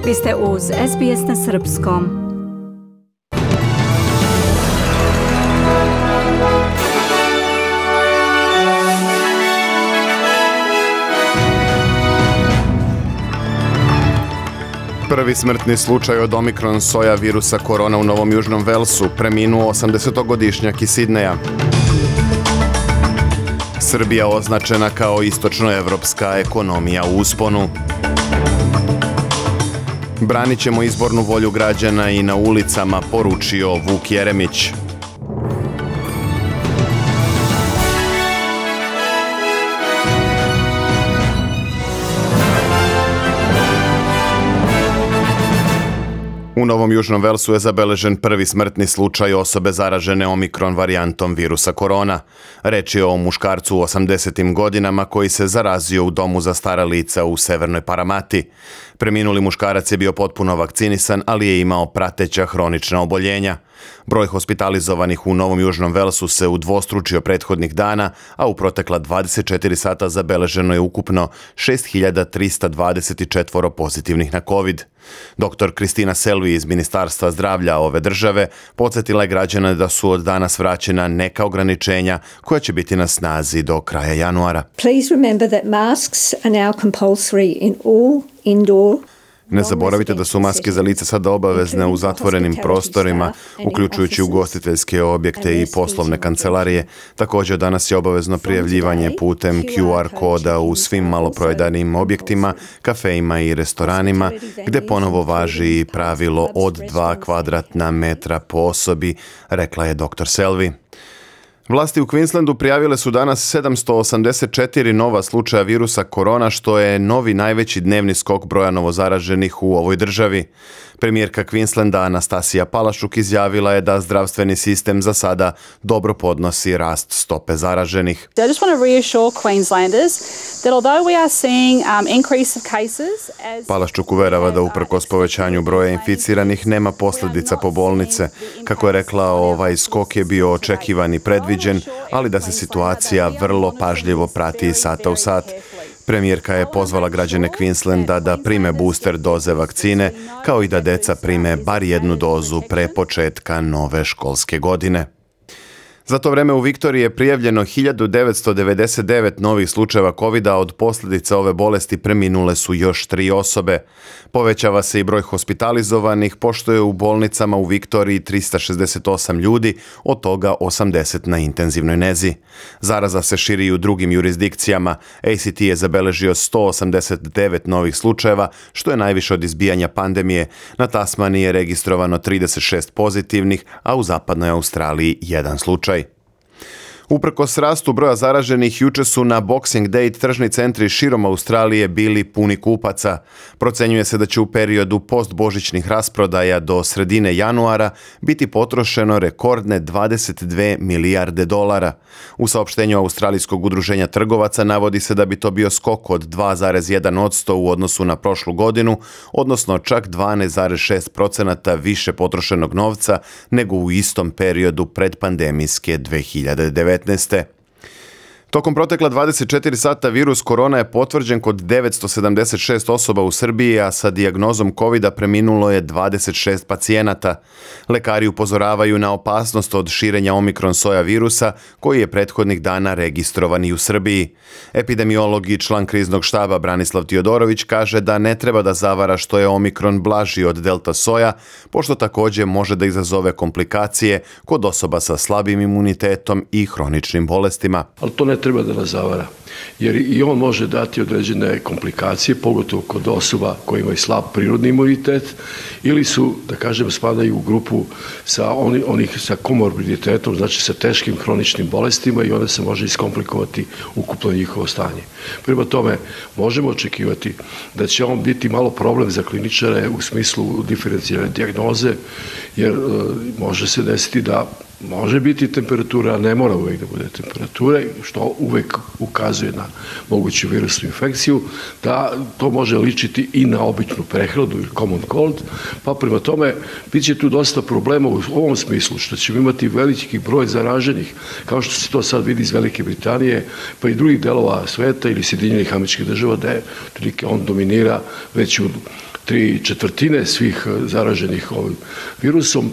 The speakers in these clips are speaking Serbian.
Vi ste uz SBS na srpskom. Prvi smrtni slučaj od Omikron soja virusa korona u Novom Južnom Velsu, preminuo 80-godišnjak iz Sidneja. Srbija označena kao istočnoevropska ekonomija u usponu. Branit ćemo izbornu volju građana i na ulicama, poručio Vuk Jeremić. U Novom Južnom Velsu je zabeležen prvi smrtni slučaj osobe zaražene Omikron varijantom virusa korona. Reč je o muškarcu u 80. godinama koji se zarazio u domu za stara lica u Severnoj Paramati. Preminuli muškarac je bio potpuno vakcinisan, ali je imao prateća hronična oboljenja. Broj hospitalizovanih u Novom Južnom Velsu se udvostručio prethodnih dana, a u protekla 24 sata zabeleženo je ukupno 6.324 pozitivnih na COVID. Dr. Kristina Selvi iz Ministarstva zdravlja ove države podsjetila je građane da su od danas vraćena neka ograničenja koja će biti na snazi do kraja januara. Please remember that masks are now compulsory in all indoor. Ne zaboravite da su maske za lice sada obavezne u zatvorenim prostorima, uključujući ugostiteljske objekte i poslovne kancelarije. Također danas je obavezno prijavljivanje putem QR koda u svim maloprodajanim objektima, kafejima i restoranima, gdje ponovo važi pravilo od 2 kvadratna metra po osobi, rekla je dr. Selvi. Vlasti u Queenslandu prijavile su danas 784 nova slučaja virusa korona, što je novi najveći dnevni skok broja novozaraženih u ovoj državi. Premijerka Queenslanda Anastasija Palaszczuk izjavila je da zdravstveni sistem za sada dobro podnosi rast stope zaraženih. I just want to reassure Queenslanders that although we are seeing increase of cases Palaszczuk uverava da uprkos povećanju broja inficiranih nema posljedica po bolnice. Kako je rekla, ovaj skok je bio očekivan i predviđen, ali da se situacija vrlo pažljivo prati iz sata u sat. Premijerka je pozvala građane Queenslanda da prime booster doze vakcine, kao i da deca prime bar jednu dozu pre početka nove školske godine. Za to vreme u Viktoriji je prijavljeno 1999 novih slučajeva COVID-a, od posljedica ove bolesti preminule su još 3 osobe. Povećava se i broj hospitalizovanih, pošto je u bolnicama u Viktoriji 368 ljudi, od toga 80 na intenzivnoj nezi. Zaraza se širi i u drugim jurisdikcijama. ACT je zabeležio 189 novih slučajeva, što je najviše od izbijanja pandemije. Na Tasmaniji je registrovano 36 pozitivnih, a u zapadnoj Australiji 1 slučaj. Uprkos rastu broja zaraženih, juče su na Boxing Day tržni centri širom Australije bili puni kupaca. Procenjuje se da će u periodu postbožićnih rasprodaja do sredine januara biti potrošeno rekordne 22 milijarde dolara. U saopštenju Australijskog udruženja trgovaca navodi se da bi to bio skok od 2,1% u odnosu na prošlu godinu, odnosno čak 12,6% više potrošenog novca nego u istom periodu predpandemijske 2019. Tokom protekla 24 sata virus korona je potvrđen kod 976 osoba u Srbiji, a sa dijagnozom COVID-a preminulo je 26 pacijenata. Lekari upozoravaju na opasnost od širenja Omikron soja virusa, koji je prethodnih dana registrovan i u Srbiji. Epidemiolog i član kriznog štaba Branislav Tiodorović kaže da ne treba da zavara što je Omikron blaži od delta soja, pošto također može da izazove komplikacije kod osoba sa slabim imunitetom i hroničnim bolestima. Ali to ne treba da nas zavara, jer i on može dati određene komplikacije, pogotovo kod osoba koji imaju slab prirodni imunitet ili su, da kažem, spadaju u grupu onih sa komorbiditetom, znači sa teškim hroničnim bolestima, i onda se može iskomplikovati ukupno njihovo stanje. Prema tome, možemo očekivati da će on biti malo problem za kliničare u smislu diferencijalne dijagnoze, jer može se desiti da može biti temperatura, a ne mora uvijek da bude temperatura, što uvijek ukazuje na moguću virusnu infekciju, da to može ličiti i na običnu prehladu ili common cold, pa prema tome bit će tu dosta problema u ovom smislu, što ćemo imati veliki broj zaraženih, kao što se to sad vidi iz Velike Britanije, pa i drugih delova sveta ili Sjedinjenih Američkih Država, da je on dominira već u 3/4 svih zaraženih ovim virusom.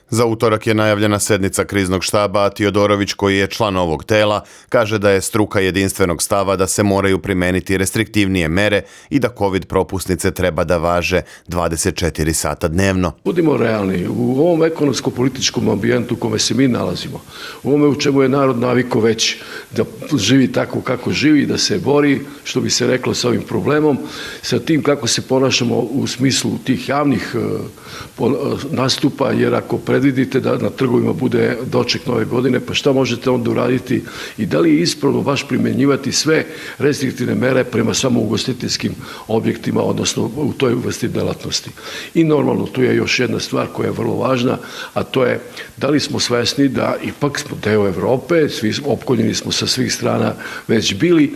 Za utorak je najavljena sednica kriznog štaba, a Tiodorović, koji je član ovog tela, kaže da je struka jedinstvenog stava da se moraju primeniti restriktivnije mere i da COVID propusnice treba da važe 24 sata dnevno. Budimo realni, u ovom ekonomsko-političkom ambijentu u kome se mi nalazimo, u ovome u čemu je narod naviko već da živi tako kako živi, da se bori, što bi se reklo, sa ovim problemom, sa tim kako se ponašamo u smislu tih javnih nastupa, jer ako predvidite da na trgovima bude doček nove godine, pa šta možete onda uraditi i da li je ispravno baš primenjivati sve restriktivne mere prema samo ugostiteljskim objektima, odnosno u toj vrsti delatnosti. I normalno, tu je još jedna stvar koja je vrlo važna, a to je da li smo svesni da ipak smo deo Evrope, svi opkoljeni smo sa svih strana već bili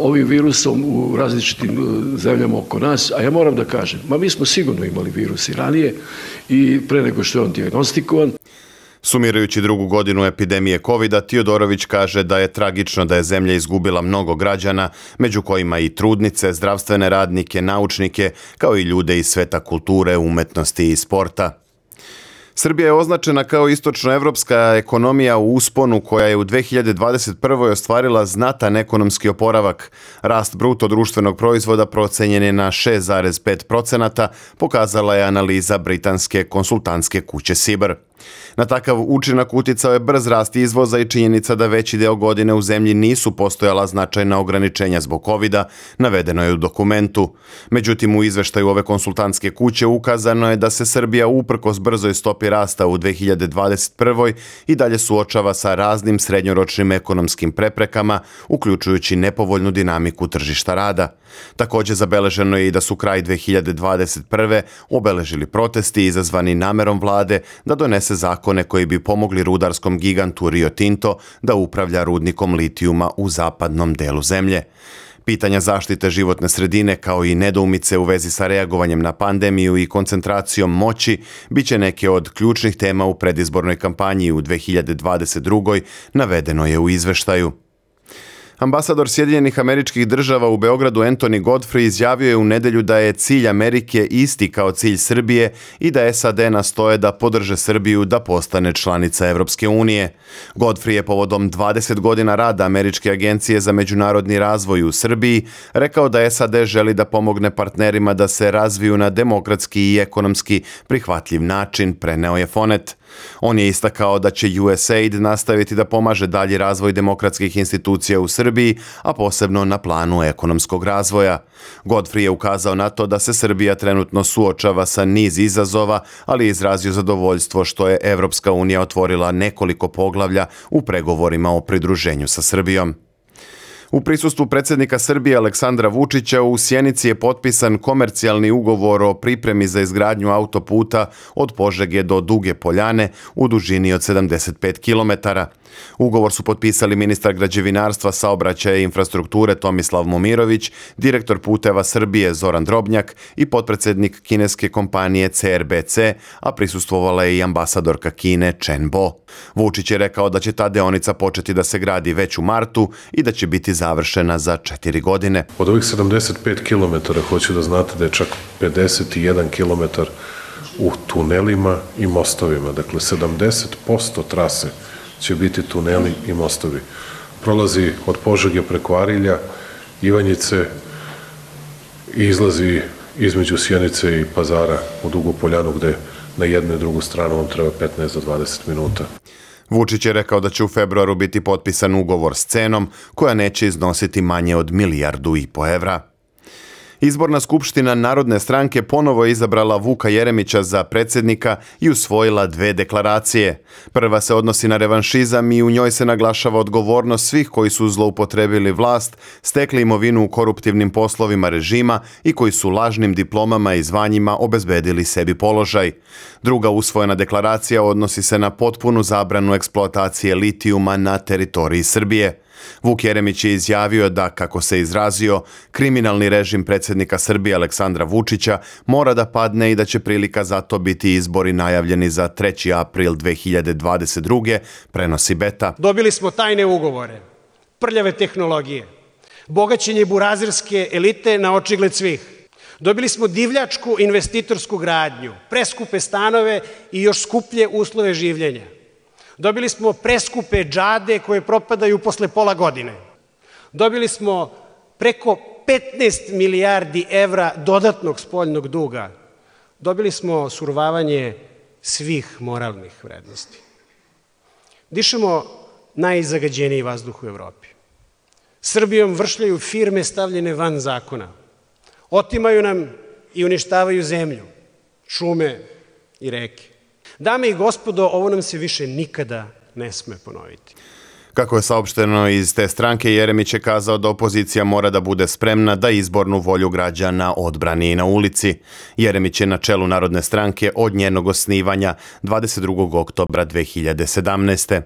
ovim virusom u različitim zemljama oko nas, a ja moram da kažem, mi smo sigurno imali virus i ranije i pre nego što je on dijagnostikovan. Sumirajući drugu godinu epidemije COVID-a, Tiodorović kaže da je tragično da je zemlja izgubila mnogo građana, među kojima i trudnice, zdravstvene radnike, naučnike, kao i ljude iz sveta kulture, umetnosti i sporta. Srbija je označena kao istočnoevropska ekonomija u usponu koja je u 2021. ostvarila znatan ekonomski oporavak. Rast bruto društvenog proizvoda procenjen je na 6,5%, pokazala je analiza britanske konsultantske kuće Sibr. Na takav učinak uticao je brz rast izvoza i činjenica da veći deo godine u zemlji nisu postojala značajna ograničenja zbog COVID-a, navedeno je u dokumentu. Međutim, u izveštaju ove konsultantske kuće ukazano je da se Srbija uprkos brzoj stopi rasta u 2021. i dalje suočava sa raznim srednjoročnim ekonomskim preprekama, uključujući nepovoljnu dinamiku tržišta rada. Također zabeleženo je i da su kraj 2021. obeležili protesti izazvani namerom vlade da donese zakone koji bi pomogli rudarskom gigantu Rio Tinto da upravlja rudnikom litijuma u zapadnom delu zemlje. Pitanja zaštite životne sredine kao i nedoumice u vezi sa reagovanjem na pandemiju i koncentracijom moći biće neke od ključnih tema u predizbornoj kampanji u 2022. navedeno je u izveštaju. Ambasador Sjedinjenih Američkih Država u Beogradu Anthony Godfrey izjavio je u nedelju da je cilj Amerike isti kao cilj Srbije i da SAD nastoje da podrže Srbiju da postane članica Evropske unije. Godfrey je povodom 20 godina rada Američke agencije za međunarodni razvoj u Srbiji rekao da SAD želi da pomogne partnerima da se razviju na demokratski i ekonomski prihvatljiv način, preneo je Fonet. On je istakao da će USAID nastaviti da pomaže dalji razvoj demokratskih institucija u Srbiji, a posebno na planu ekonomskog razvoja. Godfrey je ukazao na to da se Srbija trenutno suočava sa niz izazova, ali je izrazio zadovoljstvo što je Evropska unija otvorila nekoliko poglavlja u pregovorima o pridruženju sa Srbijom. U prisustvu predsjednika Srbije Aleksandra Vučića u Sjenici je potpisan komercijalni ugovor o pripremi za izgradnju autoputa od Požege do Duge Poljane u dužini od 75 km. Ugovor su potpisali ministar građevinarstva, saobraćaja i infrastrukture Tomislav Momirović, direktor Puteva Srbije Zoran Drobnjak i potpredsjednik kineske kompanije CRBC, a prisustvovala je i ambasadorka Kine Chen Bo. Vučić je rekao da će ta deonica početi da se gradi već u martu i da će biti završena za 4 godine. Od ovih 75 km hoću da znate da je čak 51 km u tunelima i mostovima. Dakle, 70% trase će biti tuneli i mostovi. Prolazi od Požege preko Arilja, Ivanjice i izlazi između Sjenice i Pazara u Dugu Poljanu, gde na jednu i drugu stranu vam treba 15 do 20 minuta. Vučić je rekao da će u februaru biti potpisan ugovor s cenom koja neće iznositi manje od 1,5 milijardu evra. Izborna skupština Narodne stranke ponovo je izabrala Vuka Jeremića za predsjednika i usvojila 2 deklaracije. Prva se odnosi na revanšizam i u njoj se naglašava odgovornost svih koji su zloupotrebili vlast, stekli imovinu u koruptivnim poslovima režima i koji su lažnim diplomama i zvanjima obezbedili sebi položaj. Druga usvojena deklaracija odnosi se na potpunu zabranu eksploatacije litijuma na teritoriji Srbije. Vuk Jeremić je izjavio da, kako se izrazio, kriminalni režim predsjednika Srbije Aleksandra Vučića mora da padne i da će prilika za to biti izbori najavljeni za 3. april 2022. prenosi Beta. Dobili smo tajne ugovore, prljave tehnologije, bogaćenje burazirske elite na očigled svih. Dobili smo divljačku investitorsku gradnju, preskupe stanove i još skuplje uslove življenja. Dobili smo preskupe džade koje propadaju posle pola godine. Dobili smo preko 15 milijardi evra dodatnog spoljnog duga. Dobili smo survavanje svih moralnih vrednosti. Dišemo najzagađeniji vazduh u Evropi. Srbijom vršljaju firme stavljene van zakona. Otimaju nam i uništavaju zemlju, šume i reke. Dame i gospodo, ovo nam se više nikada ne sme ponoviti. Kako je saopšteno iz te stranke, Jeremić je kazao da opozicija mora da bude spremna da izbornu volju građana odbrani i na ulici. Jeremić je na čelu Narodne stranke od njenog osnivanja 22. oktobra 2017.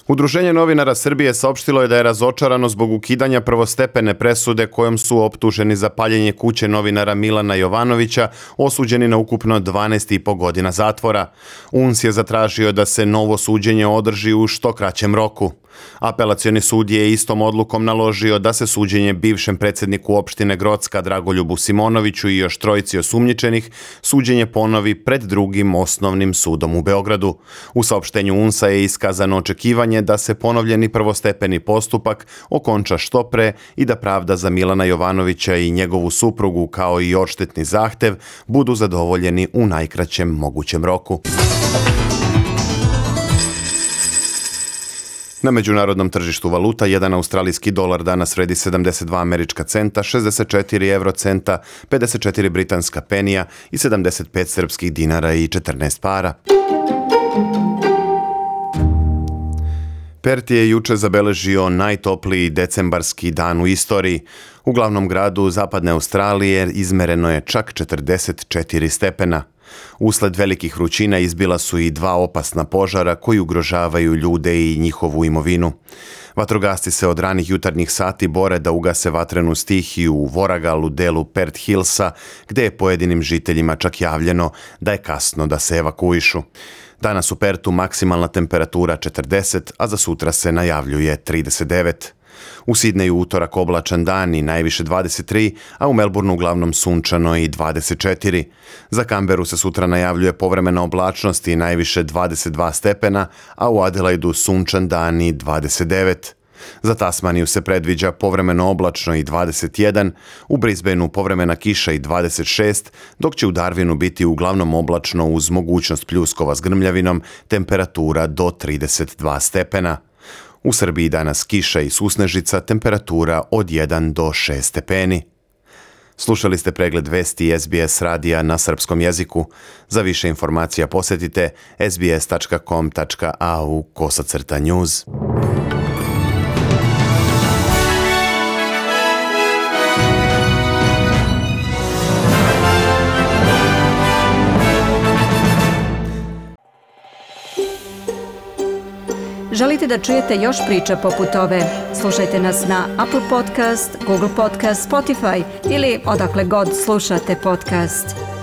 Udruženje novinara Srbije saopštilo je da je razočarano zbog ukidanja prvostepene presude kojom su optuženi za paljenje kuće novinara Milana Jovanovića, osuđeni na ukupno 12,5 godina zatvora. UNS je zatražio da se novo suđenje održi u što kraćem roku. Apelacioni sud je istom odlukom naložio da se suđenje bivšem predsjedniku opštine Grocka Dragoljubu Simonoviću i još trojici osumnjičenih suđenje ponovi pred drugim osnovnim sudom u Beogradu. U saopštenju UNS-a je iskazano očekivanje da se ponovljeni prvostepeni postupak okonča što pre i da pravda za Milana Jovanovića i njegovu suprugu kao i odštetni zahtev budu zadovoljeni u najkraćem mogućem roku. Na međunarodnom tržištu valuta, jedan australijski dolar danas vredi 72 američka centa, 64 eurocenta, 54 britanska penija i 75 srpskih dinara i 14 para. Perth je juče zabeležio najtopliji decembarski dan u istoriji. U glavnom gradu zapadne Australije izmereno je čak 44 stepena. Usled velikih vrućina izbila su i 2 opasna požara koji ugrožavaju ljude i njihovu imovinu. Vatrogasci se od ranih jutarnjih sati bore da ugase vatrenu stihiju u Voragalu, delu Perth Hillsa, gde je pojedinim žiteljima čak javljeno da je kasno da se evakuišu. Danas u Perthu maksimalna temperatura 40, a za sutra se najavljuje 39. U Sidneju utorak oblačan dan i najviše 23, a u Melbourneu uglavnom sunčano i 24. Za Canberu se sutra najavljuje povremena oblačnost i najviše 22 stepena, a u Adelaidu sunčan dan i 29. Za Tasmaniju se predviđa povremeno oblačno i 21, u Brisbaneu povremena kiša i 26, dok će u Darwinu biti uglavnom oblačno uz mogućnost pljuskova s grmljavinom, temperatura do 32 stepena. U Srbiji danas kiša i susnežica, temperatura od 1 do 6 stepeni. Slušali ste pregled vesti SBS radija na srpskom jeziku. Za više informacija posjetite sbs.com.au/news. Želite da čujete još priča poput ove? Slušajte nas na Apple Podcast, Google Podcast, Spotify ili odakle god slušate podcast.